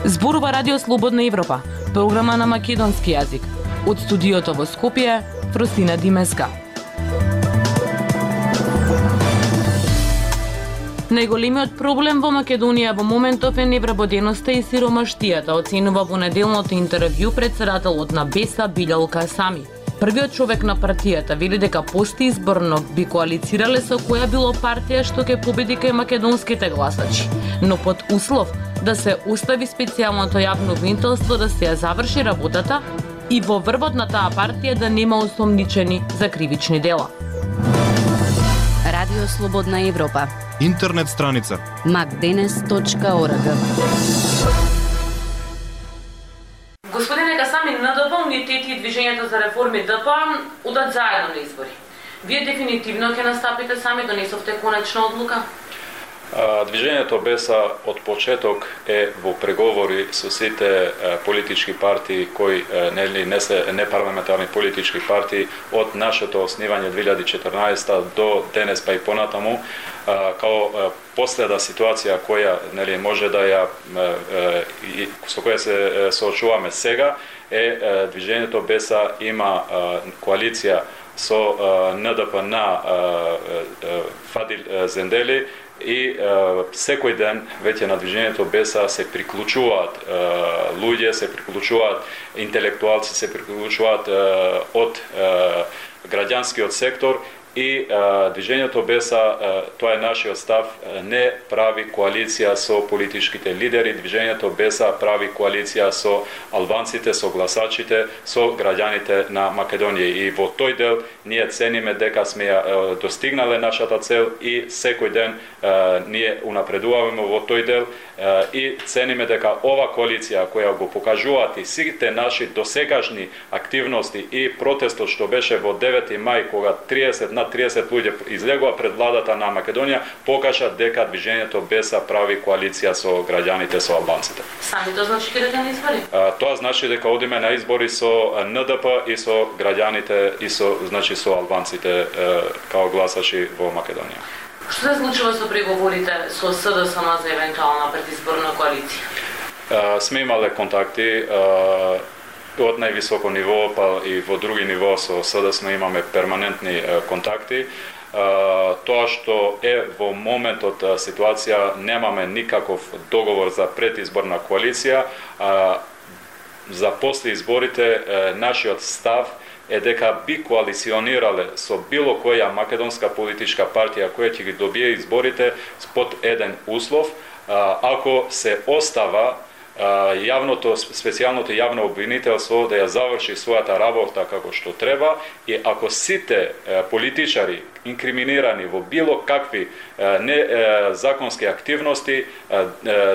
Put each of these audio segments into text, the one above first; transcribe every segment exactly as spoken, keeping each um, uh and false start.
Зборува Радио Слободна Европа, програма на македонски јазик. Од студиото во Скопје, Фростина Димеска. Најголемиот проблем во Македонија во моментов е невработеноста и сиромаштијата, оценува во неделното интервју претседателот на Беса Билјал Касами. Првиот човек на партијата вели дека постизборно би коалицирале со која било партија што ќе победи кај македонските гласачи, но под услов да се остави специјалното јавно обвинителство да се ја заврши работата и во врвот на таа партија да нема осомничени за кривични дела. Радио Слободна Европа. Интернет страница макденес точка орг. Господине Касами, на ДП, Унитети и Движењето за реформи ДП удат заедно на избори. Вие дефинитивно ќе настапите сами, донесовте конечна одлука? Движењето Беса од почеток е во преговори со сите политички партии кои нели не се непарламентарни политички партии од нашето основање две илјади и четрнаесета до денес па и понатаму, као последна ситуација која нели може да ја со која се соочуваме сега е Движењето Беса има коалиција со Н Д П на Фадил Зендели и е, секој ден веќе на Движењето Беса се приклучуваат е, луѓе, се приклучуваат интелектуалци, се приклучуваат е, од е, граѓанскиот сектор и е, Движењето Беса, е, тоа е нашиот став, не прави коалиција со политичките лидери, Движењето Беса прави коалиција со албанците, со гласачите, со граѓаните на Македонија. И во тој дел ние цениме дека сме ја достигнале нашата цел и секој ден е, ние унапредуваме во тој дел е, и цениме дека ова коалиција која го покажуваат и сите наши досегашни активности и протестот што беше во девети мај кога триесет на триесет луѓе излегува пред владата на Македонија, покажа дека Движењето Беса прави коалиција со граѓаните, со албанците. Сами тоа значи ќе идете на избори? А, тоа значи дека одиме на избори со Н Д П и со граѓаните и со значи со албанците е, као гласачи во Македонија. Што се случува со преговорите со С Д С М за евентуална предизборна коалиција? А, сме имале контакти а, од највисоко ниво, па и во други ниво со С Д С М имаме перманентни е, контакти. Uh, тоа што е во моментот uh, ситуација, немаме никаков договор за предизборна коалиција. Uh, за после изборите uh, нашиот став е дека би коалиционирале со било која македонска политичка партија која ќе ги добие изборите под еден услов, uh, ако се остава јавното, специјалното јавно обвинителство да ја заврши својата работа како што треба и ако сите политичари инкриминирани во било какви не законски активности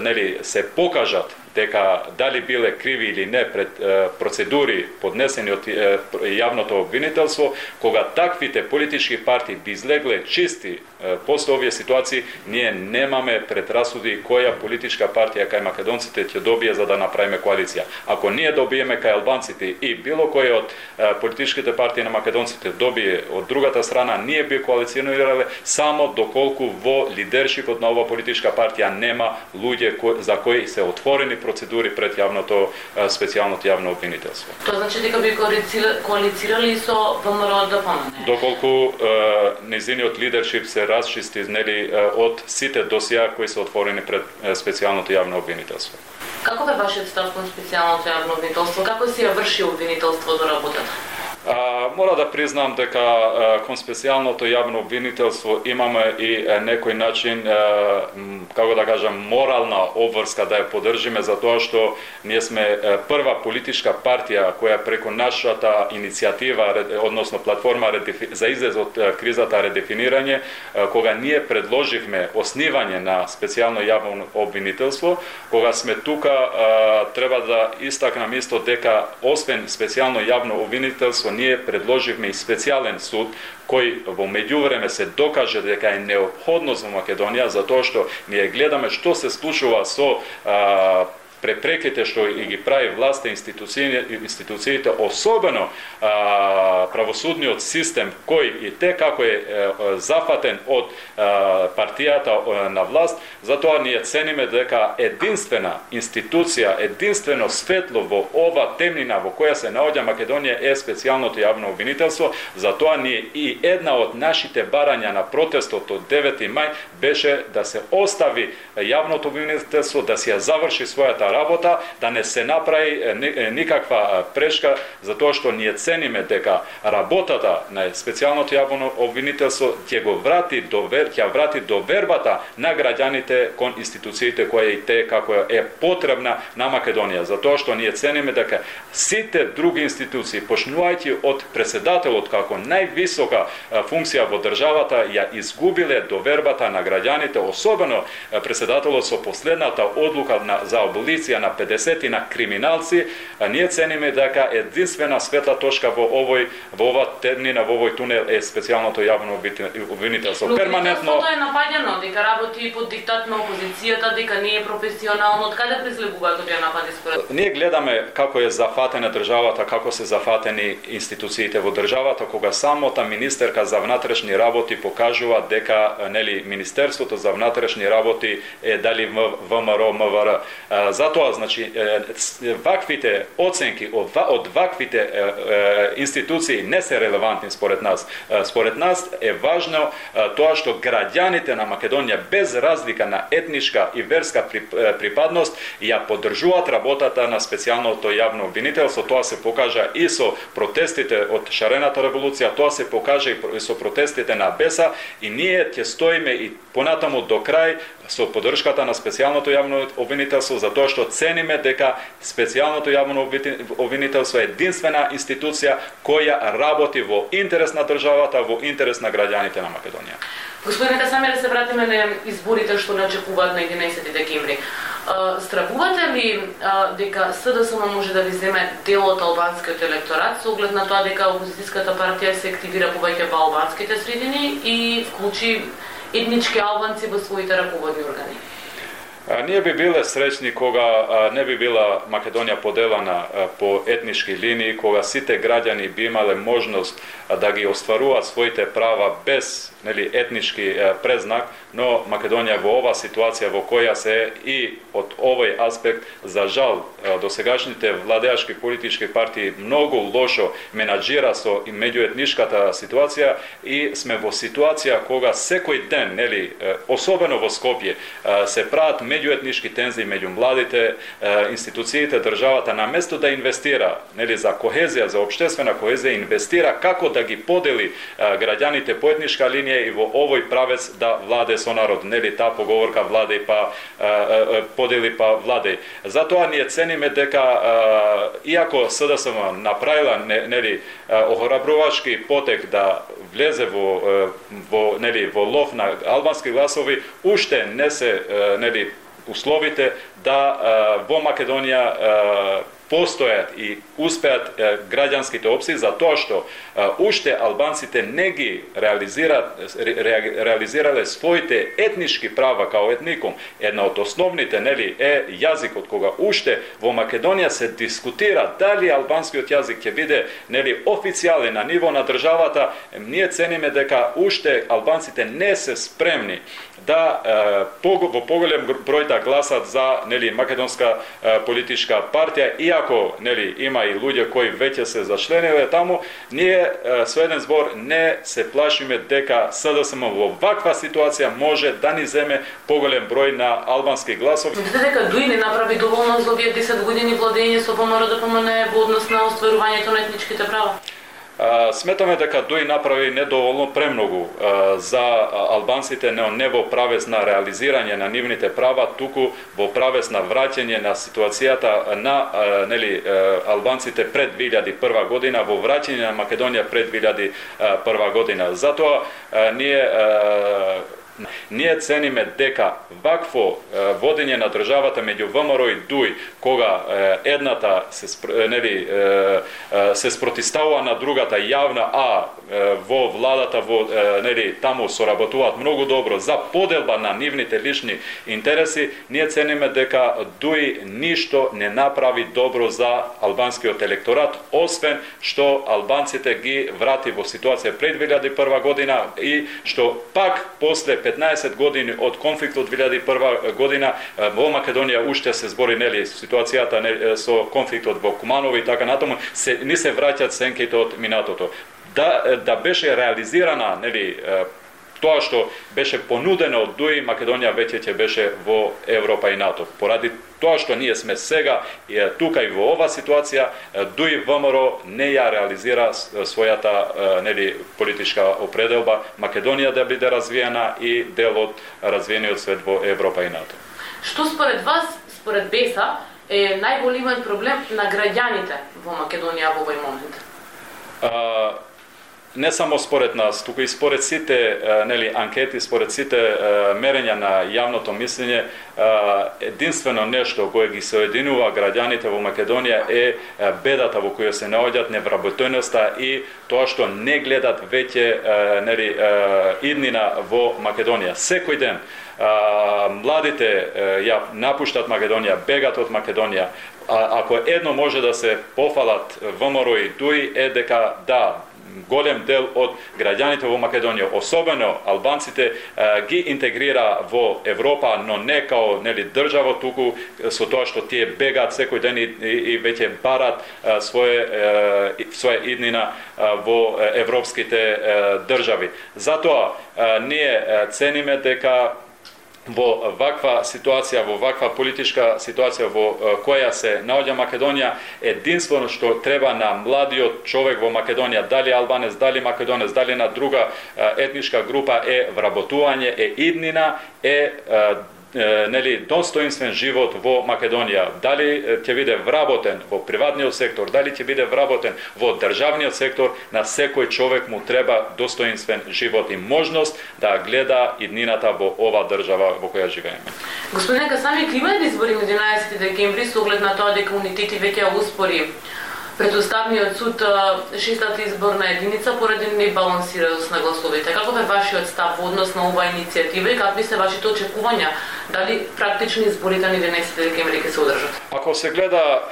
нели се покажат дека дали биле криви или не пред е, процедури поднесени од е, јавното обвинителство, кога таквите политички партии би излегле чисти е, после овие ситуации, ние немаме предрасуди која политичка партија кај македонците ќе добие за да направиме коалиција. Ако ние добиеме кај албанците и било кој од е, политичките партии на македонците добие од другата страна, ние би коалиционирале само доколку во лидершипот на оваа политичка партија нема луѓе кои, за кои се отворени процедури пред јавното специјалното јавно обвинителство. Тоа значи дека би коалицирали со В М Р Д П М Н? Доколку е, незиниот лидершип се расчисти нели од сите досија кои се отворени пред специјалното јавно обвинителство. Каков е вашиот став кон специјалното јавно обвинителство? Како се ја врши обвинителството работата? А, мора да признам дека а, кон специјалното јавно обвинителство имаме и а, некој начин, а, како да кажам, морална обврска да ја поддржиме, затоа што ние сме а, прва политичка партија која преку нашата иницијатива, односно платформа за излез од а, кризата редефинирање, а, кога ние предложивме основање на специјално јавно обвинителство, кога сме тука, а, треба да истакнам исто дека освен специјално јавно обвинителство, ние предложивме и специјален суд кој во меѓувреме се докаже дека е неопходно за Македонија, затоа што ние гледаме што се случува со а, препреките што и ги прави власта, институциите, институциите, особено а, правосудниот систем кој и те како е а, зафатен од а, партијата на власт, затоа ние цениме дека единствена институција, единствено светло во ова темнина во која се наоѓа Македонија е специјалното јавно обвинителство. Затоа ние и една од нашите барања на протестот од девети мај беше да се остави јавното обвинителство, да се ја заврши својата работа, да не се направи никаква прешка, затоа што ние цениме дека работата на специјалното јавно обвинителство ќе го врати довер, ќе врати довербата на граѓаните кон институциите која и те како е потребна на Македонија, затоа што ние цениме дека сите други институции, почнувајќи од претседателот како највисока функција во државата, ја изгубиле довербата на граѓаните, особено претседателот со последната одлука на, за аболиција на педесет на криминалци. Ние цениме дека единствена светла точка во овој во ова темнина, во овој тунел е специјалното јавно обвинителство. Перманентно е напаѓано, дека работи под диктат на опозицијата, дека не е професионално. Од каде презлегуваат овие напади според? Ние гледаме како е зафатена државата, како се зафатени институциите во државата, кога самата министерка за внатрешни работи покажува дека нели Министерството за внатрешни работи е дали ВМРО, МВР. Затоа, значи, ваквите оценки од ваквите институции не се релевантни според нас. Според нас е важно тоа што граѓаните на Македонија без разлика на етничка и верска припадност ја поддржуваат работата на специјалното јавно обвинителство. Тоа се покажа и со протестите од шарената револуција, тоа се покажа и со протестите на Беса, и ние ќе стоиме и понатаму до крај со поддршката на специјалното јавно обвинителство, затоа што цениме дека специјалното јавно обвинителство е единствена институција која работи во интерес на државата, во интерес на граѓаните на Македонија. Господине Касами, да се вратиме на изборите што не очекуваат на единаесети декември. Стравувате ли дека СДСМ може да ви земе дел од албанскиот електорат со оглед на тоа дека опозицијската партија се активира повеќе во албанските средини и вклучи етнички албанци во своите раководни органи? Ние би биле среќни кога не би била Македонија поделена по етнички линии, кога сите граѓани би имале можност да ги остваруваат своите права без нели етнички презнак, но Македонија во ова ситуација во која се и од овој аспект, за жал, досегашните владеачки политички партии многу лошо менаџира со меѓуетничката ситуација, и сме во ситуација кога секој ден, нели, особено во Скопје, се прават меѓуетнички тензии меѓу младите, институциите, државата, на место да инвестира, нели, за кохезија, за општествена кохезија, инвестира како да ги подели граѓаните по етничка линија и во овој правец да владе со народ, нели, таа поговорка владе па подели па владе. Затоа ние цениме дека иако СДСМ направила нели охрабрувачки потек да влезе во во нели во лов на албански гласови, уште не се нели условите да во Македонија постојат и успеат граѓанските опции, за тоа што уште албанците не ги реализираат реализирале своите етнички права као етникум. Една од основните нели е јазикот, кога уште во Македонија се дискутира дали албанскиот јазик ќе биде нели официјален на ниво на државата. Ние цениме дека уште албанците не се спремни да во поголем број да гласат за нели македонска политичка партија, иако нели има и луѓе кои веќе се зачлениле таму. Ние со еден збор не се плашиме дека СДСМ во ваква ситуација може да ни земе поголем број на албански гласови. Мислите дека ДУИ не направи доволно за овие десет години владење со ВМРО да помине во однос на остварувањето на етничките права? Сметаме дека ДУИ направи недоволно премногу за албанците, не, не во правец на реализирање на нивните права, туку во правец на враќање на ситуацијата на нели албанците пред две илјади и прва година, во враќање на Македонија пред две илјади и прва година. Затоа ние Ние цениме дека вакво водење на државата меѓу ВМРО и ДУИ, кога едната се нели се спротивставува на другата јавна, а во владата во нели таму соработуваат многу добро за поделба на нивните лични интереси, ние цениме дека ДУИ ништо не направи добро за албанскиот електорат, освен што албанците ги врати во ситуација пред две илјади и прва година и што пак после петнаесет години од конфликтот две илјади и прва година во Македонија уште се збори нели ситуацијата не, со конфликтот во Куманово и така натаму, се ни се враќаат сенките од минатото. Да да беше реализирана нели тоа што беше понудено од ДУИ, Македонија веќе ќе беше во Европа и НАТО. Поради тоа што ние сме сега и тука и во ова ситуација, ДУИ ВМРО не ја реализира својата нели политичка определба Македонија да биде развиена и дел од развиениот свет во Европа и НАТО. Што според вас, според БЕСА, е најголемиот проблем на граѓаните во Македонија во овој момент? А, не само според нас, туку и според сите нели анкети, според сите мерења на јавното мислење, единствено нешто кое ги соединува граѓаните во Македонија е бедата во која се наоѓаат, невработеноста и тоа што не гледат веќе нели иднина во Македонија. Секој ден младите ја напуштат Македонија, бегат од Македонија. А, ако едно може да се пофалат ВМРО и ДУИ е дека да, голем дел од граѓаните во Македонија, особено албанците, ги интегрира во Европа, но не као нели држава, туку со тоа што тие бегаат секој ден и, и, и веќе барат своје своја иднина во европските држави. Затоа ние цениме дека во ваква ситуација, во ваква политичка ситуација во која се наоѓа Македонија, единствено што треба на младиот човек во Македонија, дали албанец, дали македонец, дали на друга етничка група, е вработување, е иднина, е нели достоинствен живот во Македонија. Дали ќе биде вработен во приватниот сектор, дали ќе биде вработен во државниот сектор, на секој човек му треба достоинствен живот и можност да гледа иднината во ова држава во која живееме. Господин Касами, има ли избори на единаесети декември со оглед на тоа дека унитети веќе успори пред Уставниот суд шестата изборна единица поради небалансираност на гласовите? Каков е вашиот став во однос на оваа иницијатива и какви се вашите очекувања? Дали практични изборите на единаесети декември ќе се одржат? Ако се гледа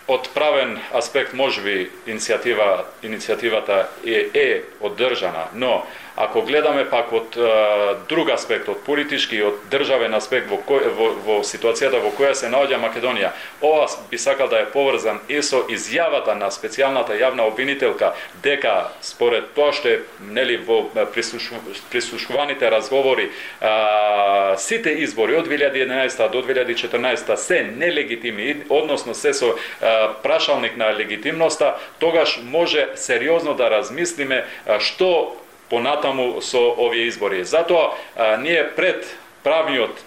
од правен аспект, можеби иницијатива иницијативата е, е одржана, но ако гледаме пак од а, друг аспект, од политички и од државен аспект во, кој, во, во ситуацијата во која се наоѓа Македонија, ова би сакал да е поврзан и со изјавата на специјалната јавна обвинителка дека според тоа што е нели во прислуш, прислушуваните разговори, а, сите избори од две илјади и единаесета до две илјади и четрнаесета се нелегитимни, односно се со а, прашалник на легитимноста, тогаш може сериозно да размислиме а, што понатаму со овие избори. Затоа а, ние пред правниот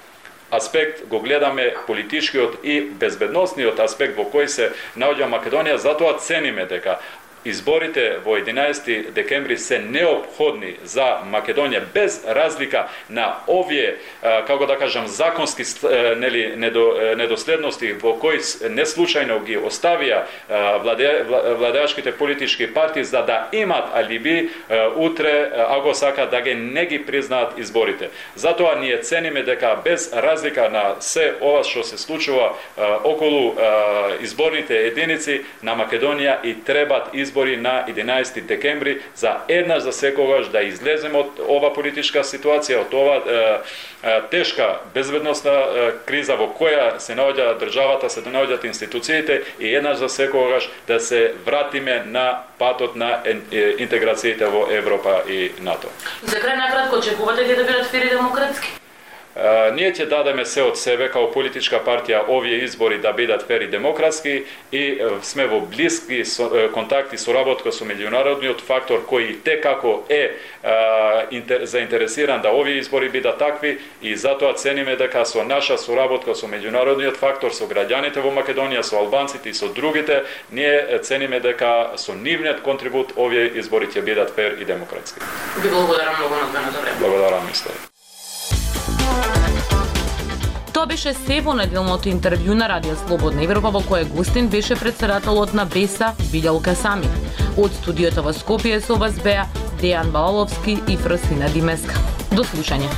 аспект го гледаме политичкиот и безбедносниот аспект во кој се наоѓа Македонија, затоа цениме дека изборите во единаесети декември се неопходни за Македонија, без разлика на овие, како да кажам, законски нели недоследности во кои не случајно ги оставија владеачките политички партии за да имат алиби утре, ако сака да ги не ги признаат изборите. Затоа ние цениме дека без разлика на се ова што се случува околу изборните единици на Македонија и требат избори на единаесети декември за еднаш за секогаш да излеземе од ова политичка ситуација, од ова е, е, тешка безбедносна е, криза во која се наоѓа државата, се наоѓаат институциите и еднаш за секогаш да се вратиме на патот на интеграциите во Европа и НАТО. И за крај накратко, очекувате ли да бидат фери демократски? Uh, ние ќе дадеме се од себе као политичка партија овие избори да бидат фери демократски и uh, сме во блиски со, uh, контакти со работка со меѓународниот фактор кој те како е uh, интер, заинтересиран да овие избори бидат такви и затоа цениме дека со наша соработка со меѓународниот фактор, со граѓаните во Македонија, со албанците и со другите, ние цениме дека со нивниот контрибут овие избори ќе бидат фер и демократски. Ви благодарам многу на времето. Благодарам, мислам. Ова беше се во неделното интервју на Радио Слободна Европа, во кое гостин беше претседателот на Беса Билјалка Сами. Од студиото во Скопје со вас беа Дејан Балаловски и Фросина Димеска. До слушање.